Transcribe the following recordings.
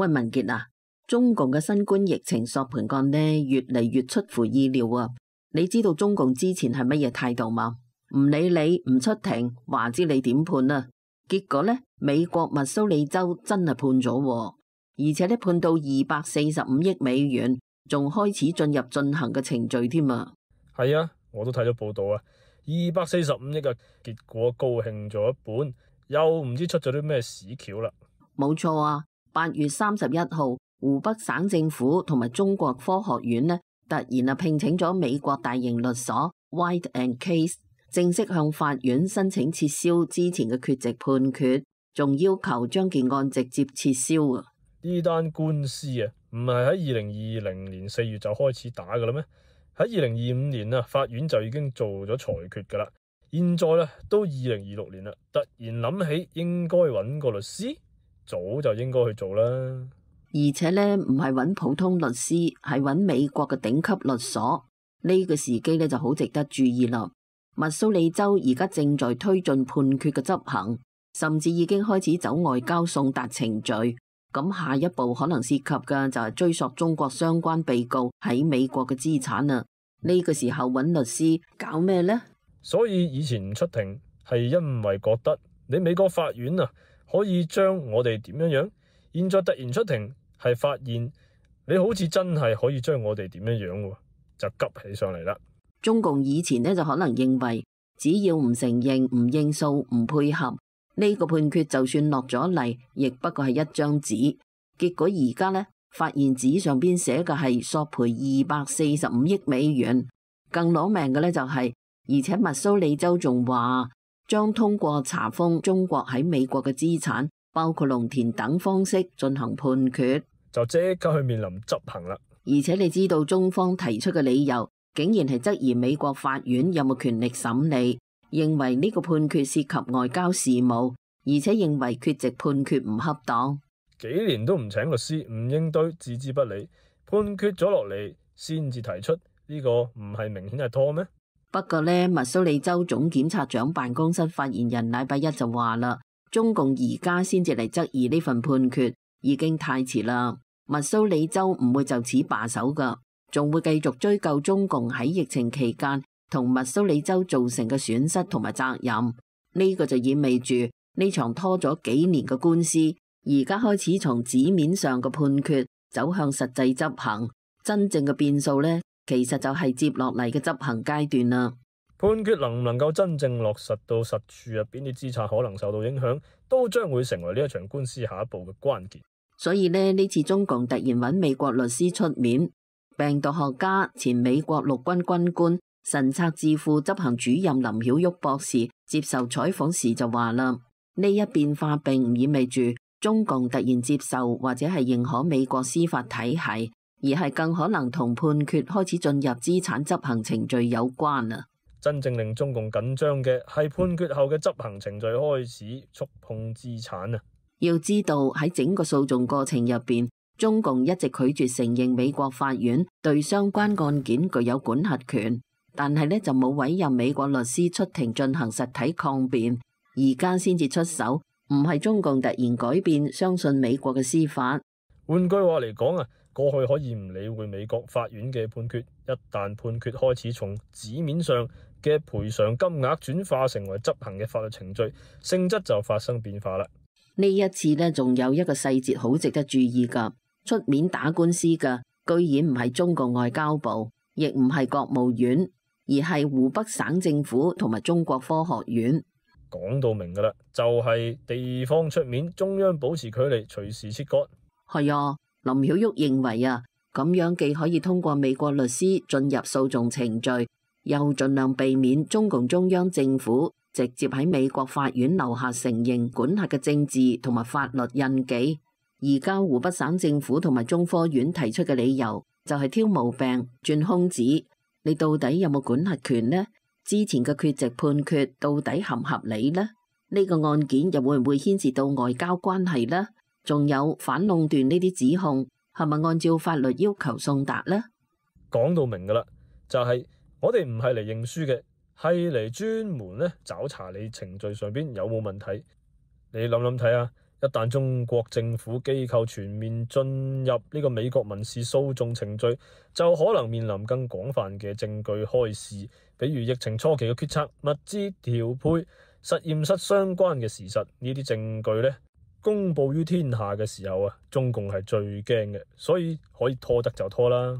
喂，文傑啊，中共嘅新冠疫情索盤案呢，越嚟越出乎意料啊！你知道中共之前係乜嘢態度嗎？唔理你，唔出庭，話知你點判啊？結果呢，美國密蘇里州真係判咗，而且呢判到245億美元，仲開始進入進行嘅程序添啊！係啊，我都睇咗報道啊，245億啊，結果高興咗一半，又唔知出咗啲咩屎橋啦。冇錯啊，8月31號，湖北省政府同埋中國科學院呢，突然聘請咗美國大型律所 White and Case， 正式向法院申請撤銷之前嘅缺席判決，仲要求將件案直接撤銷啊！呢單官司啊，唔係喺2020年4月就開始打噶啦咩？喺2025年啊，法院就已經做咗裁決噶啦。現在咧都2026年啦，突然諗起應該揾個律師，早就應該去做啦。而且呢，唔係揾普通律師，係揾美國嘅頂級律所。呢個時機呢就好值得注意啦。密蘇里州而家正在推進判決嘅執行，甚至已經開始走外交送達程序。咁下一步可能涉及嘅就係追溯中國相關被告喺美國嘅資產啊。呢個時候揾律師搞咩呢？所以以前唔出庭係因為覺得你美國法院啊可以將我哋點樣，現在突然出庭係發現你好似真係可以將我哋點樣，就急起上嚟啦。中共以前呢就可能認為只要唔承認、唔應訴、唔配合，呢個判決就算落咗嚟，亦不過係一張紙。結果而家呢，發現紙上邊寫嘅係索賠245億美元，更攞命嘅呢就係，而且密蘇里州仲話將通過查封中國喺美國嘅資產，包括農田等方式進行判決，就即刻去面臨執行啦。而且你知道中方提出嘅理由，竟然係質疑美國法院有冇權力審理，認為呢個判決涉及外交事務，而且認為缺席判決唔恰當。幾年都唔請律師，唔應對，置之不理，判決咗落嚟先至提出，呢個唔係明顯係拖咩？不過呢，密蘇里州總檢察長辦公室發言人禮拜一就話啦，中共而家先至嚟質疑呢份判決，已經太遲啦。密蘇里州唔會就此罷手噶，仲會繼續追究中共喺疫情期間同密蘇里州造成嘅損失同埋責任。呢個就意味住呢場拖咗幾年嘅官司，而家開始從紙面上嘅判決走向實際執行。真正嘅變數呢，其實就係接落嚟嘅執行階段啦。判決能唔能夠真正落實到實處入邊啲資產可能受到影響，都將會成為呢一場官司下一步嘅關鍵。所以呢次中共突然揾美國律師出面，病毒學家、前美國陸軍軍官、神策智庫執行主任林曉旭博士接受採訪時就話啦，呢一變化並唔意味住中共突然接受或者係認可美國司法體系，而係更可能同判決開始進入資產執行程序有關啊。真正令中共緊張嘅係判決後嘅執行程序開始觸碰資產啊！要知道喺整個訴訟過程入邊，中共一直拒絕承認美國法院對相關案件具有管轄權，但係呢就冇委任美國律師出庭進行實體抗辯，而家先至出手，唔係中共突然改變相信美國嘅司法。換句話嚟講啊，過去可以唔理會美國法院嘅判決，一旦判決開始從紙面上嘅賠償金額轉化成為執行嘅法律程序，性質就發生變化啦。呢一次呢，仲有一個細節好值得注意噶，出面打官司嘅居然唔係中國外交部，亦唔係國務院，而係湖北省政府同埋中國科學院。講到明噶啦，就係地方出面，中央保持距離，隨時切割。係啊，林曉旭認為啊，咁樣既可以通過美國律師進入訴訟程序，又盡量避免中共中央政府直接喺美國法院留下承認管轄嘅政治同埋法律印記。而家湖北省政府同埋中科院提出嘅理由就係挑毛病轉空子，你到底有冇管轄權呢？之前嘅缺席判決到底合唔合理呢？呢個案件又會唔會牽涉到外交關係呢？仲有反壟斷呢啲指控係咪按照法律要求送達呢？講到明噶啦，就係我哋唔係嚟認輸嘅，係嚟專門找查你程序上邊有冇問題。你諗諗睇啊，一旦中國政府機構全面進入呢個美國民事訴訟程序，就可能面臨更廣泛嘅證據開示，比如疫情初期嘅決策、物資調配、實驗室相關嘅事實，呢啲證據呢，公佈於天下嘅時候啊，中共係最驚嘅，所以可以拖得就拖啦。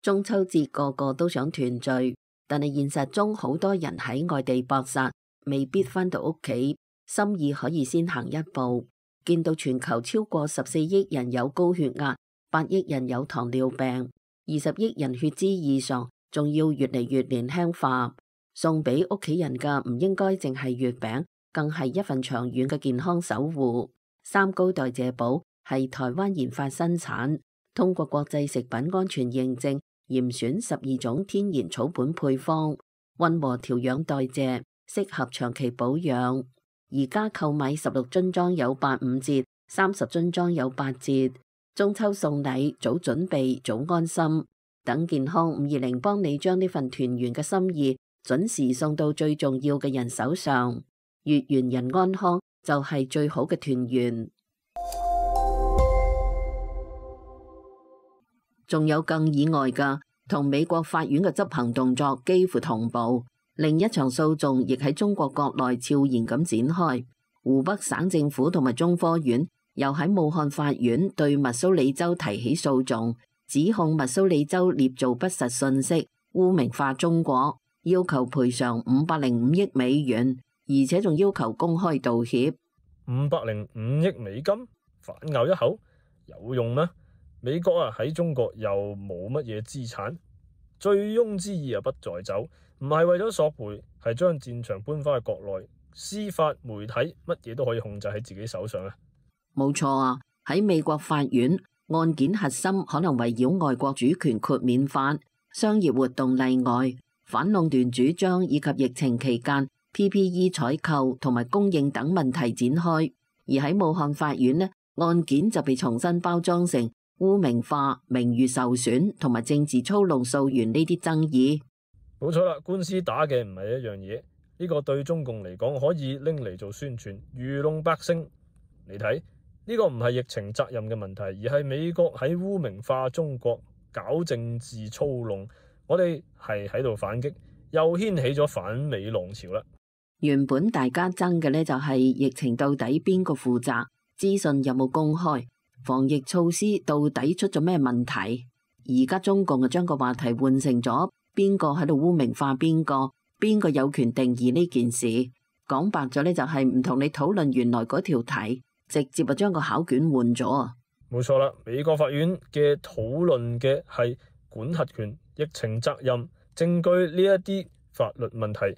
中秋節個個都想團聚，但係現實中好多人喺外地搏殺，未必返到屋企。心意可以先行一步，見到全球超過14億人有高血壓，8億人有糖尿病，20億人血脂異常，仲要越嚟越年輕化。送俾屋企人嘅唔應該淨係月餅，更係一份長遠嘅健康守護。三高代謝寶係台灣研發生產，通過國際食品安全認證，嚴選12種天然草本配方，溫和調養代謝，適合長期保養。而家購買16樽裝有85折，30樽裝有8折。中秋送禮，早準備早安心。等健康520幫你將呢份團圓嘅心意準時送到最重要嘅人手上。月圓人安康就係最好嘅團圓。仲有更意外㗎，同美國法院嘅執行動作幾乎同步。另一場訴訟亦喺中國國內悄然咁展開，湖北省政府同埋中科院又喺武漢法院對密蘇里州提起訴訟，指控密蘇里州捏造不實信息，污名化中國，要求賠償505億美元，而且仲要求公開道歉。505億美金，反咬一口有用咩？美國啊喺中國又冇乜嘢資產，醉翁之意不在酒。唔係為咗索賠，係將戰場搬返去國內，司法媒體乜嘢都可以控制喺自己手上啊！冇錯啊，喺美國法院案件核心可能圍繞外國主權豁免法、商業活動例外、反壟斷主張以及疫情期間 PPE 採購同埋供應等問題展開，而喺武漢法院呢，案件就被重新包裝成污名化、名譽受損同埋政治操弄溯源呢啲爭議。冇錯啦，官司打嘅唔係一樣嘢，呢個對中共嚟講可以拎嚟做宣傳，愚弄百姓。你睇呢個唔係疫情責任嘅問題，而係美國喺污名化中國，搞政治操弄。我哋係喺度反擊，又掀起咗反美浪潮啦。原本大家爭嘅呢就係疫情到底邊個負責，資訊有冇公開，防疫措施到底出咗咩問題。而家中共就將個話題換成咗邊個喺度污名化邊個，邊個有權定義呢件事。講白咗呢，就係唔同你討論原來嗰條題，直接就將個考卷換咗啊！冇錯啦，美國法院嘅討論嘅係管轄權、疫情責任、證據呢一啲法律問題，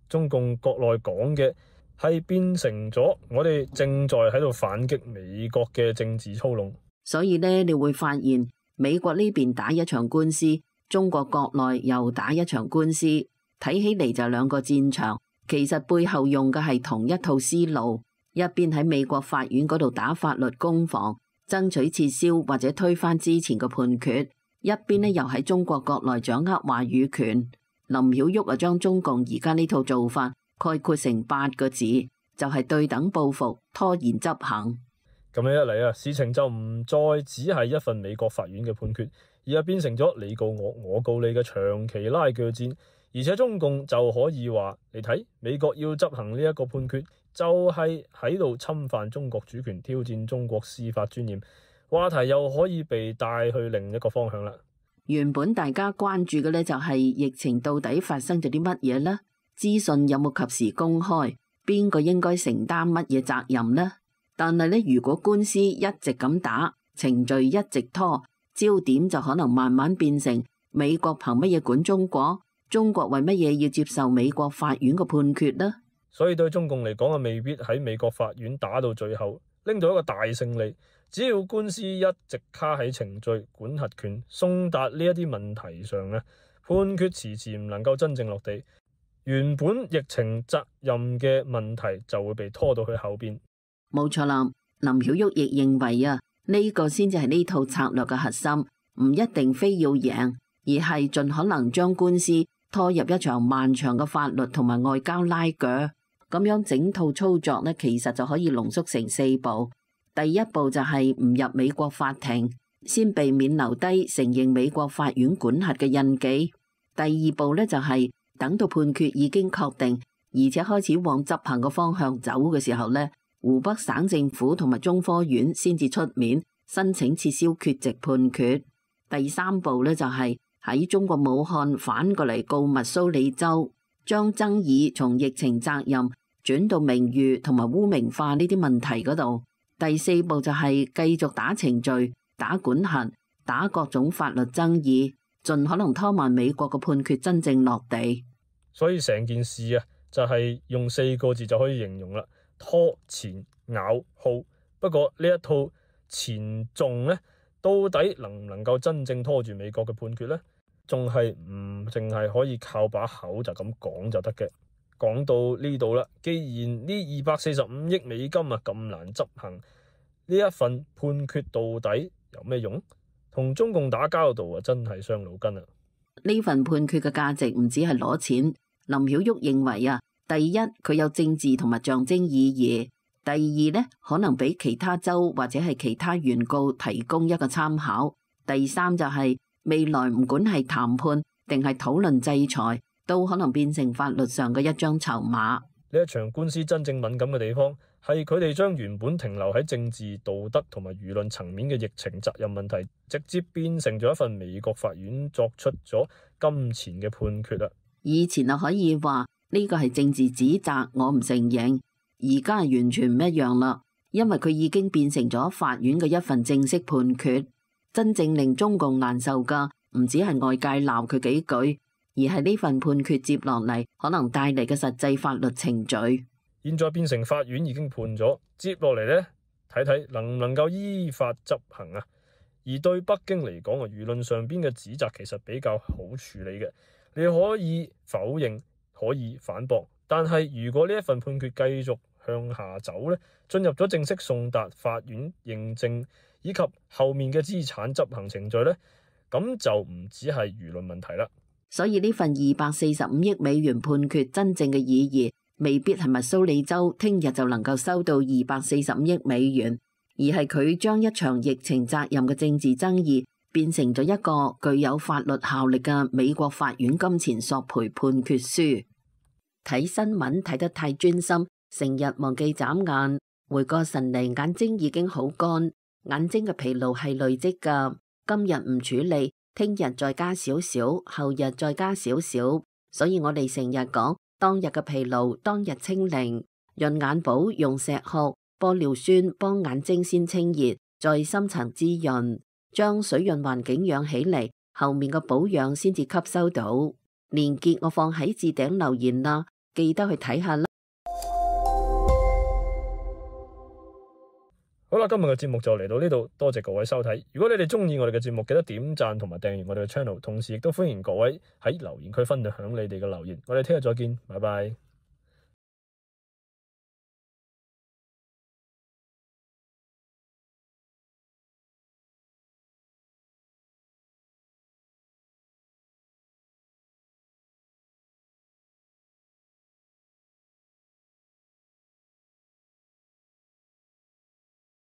中共國內講嘅係變成咗我哋正在喺度反擊美國嘅政治操弄。所以呢，你會發現美國呢邊打一場官司，中國國內又打一場官司，睇起嚟就兩個戰場，其實背後用嘅係同一套思路。一邊喺美國法院嗰度打法律攻防，爭取撤銷或者推翻之前嘅判決；一邊呢又喺中國國內掌握話語權。林曉旭啊，將中共而家呢套做法概括成8個字，就係對等報復、拖延執行。咁樣一嚟啊，事情就唔再只係一份美國法院嘅判決，而係變成咗你告我，我告你嘅長期拉鋸戰。而且中共就可以話：你睇美國要執行呢一個判決，就係喺度侵犯中國主權，挑戰中國司法尊嚴。話題又可以被帶去另一個方向啦。原本大家關注嘅呢，就係疫情到底發生咗啲乜嘢呢？資訊有冇及時公開？邊個應該承擔乜嘢責任呢？但係呢，如果官司一直咁打，程序一直拖，焦點就可能慢慢變成美國憑乜嘢管中國？中國為乜嘢要接受美國法院嘅判決呢？所以對中共嚟講啊，未必喺美國法院打到最後拎到一個大勝利。只要官司一直卡喺程序、管轄權、送達呢一啲問題上咧，判決遲遲唔能夠真正落地，原本疫情責任嘅問題就會被拖到去後邊。冇錯啦，林曉旭亦認為啊，呢個先至係呢套策略嘅核心，唔一定非要贏，而係盡可能將官司拖入一場漫長嘅法律同埋外交拉鋸。咁樣整套操作呢，其實就可以濃縮成4步。第一步就係唔入美國法庭，先避免留低承認美國法院管轄嘅印記。第二步呢，就係等到判決已經確定，而且開始往執行嘅方向走嘅時候呢，湖北省政府同埋中科院先至出面申請撤銷缺席判決。第三步呢，就係喺中國武漢反過嚟告密蘇里州，將爭議從疫情責任轉到名譽同埋污名化呢啲問題嗰度。第四步就係繼續打程序、打管轄、打各種法律爭議，盡可能拖慢美國嘅判決真正落地。所以成件事啊，就係用4個字就可以形容啦：拖、前、咬、耗。不過呢一套前重呢，到底能唔能夠真正拖住美國嘅判決呢？仲係唔淨係可以靠把口就咁講就得嘅。講到呢度啦，既然呢245億美金啊咁難執行，呢一份判決到底有咩用？同中共打交道啊，真係傷腦筋啊！呢份判決嘅價值唔止係攞錢。林曉旭認為啊，第一佢有政治同埋象徵意義；第二呢，可能俾其他州或者係其他原告提供一個參考；第三就係未來唔管係談判定係討論制裁，都可能變成法律上嘅一張籌碼。呢一場官司真正敏感嘅地方，係佢哋將原本停留喺政治、道德同埋輿論層面嘅疫情責任問題，直接變成咗一份美國法院作出咗金錢嘅判決啦。以前就可以話呢個係政治指責，我唔承認。而家係完全唔一樣啦，因為佢已經變成咗法院嘅一份正式判決。真正令中共難受噶，唔止係外界鬧佢幾句，而係呢份判決接落嚟可能帶嚟嘅實際法律程序。現在變成法院已經判咗，接落嚟呢，睇睇能唔能夠依法執行啊。而對北京嚟講啊，輿論上邊嘅指責其實比較好處理嘅，你可以否認，可以反駁，但係如果呢一份判決繼續向下走呢，進入咗正式送達法院認證以及後面嘅資產執行程序呢，咁就唔止係輿論問題啦。所以呢份245億美元判決真正嘅意義，未必係密蘇里州聽日就能夠收到245億美元，而係佢將一場疫情責任嘅政治爭議變成咗一個具有法律效力嘅美國法院金錢索賠判決書。睇新聞睇得太專心，成日忘記眨眼，回過神嚟，眼睛已經好乾，眼睛嘅疲勞係累積㗎。今日唔處理，聽日再加少少，後日再加少少，所以我哋成日講當日嘅疲勞，當日清零。潤眼寶用石殼、玻尿酸幫眼睛先清熱，再深層滋潤，將水潤環境養起嚟，後面嘅保養先至吸收到。連結我放喺置頂留言啦，記得去睇下啦。好啦，今日嘅節目就嚟到呢度，多謝各位收睇。如果你哋中意我哋嘅節目，記得點讚同埋訂閱我哋嘅 channel，同時亦都歡迎各位喺留言區分享你哋嘅留言。我哋聽日再見，拜拜。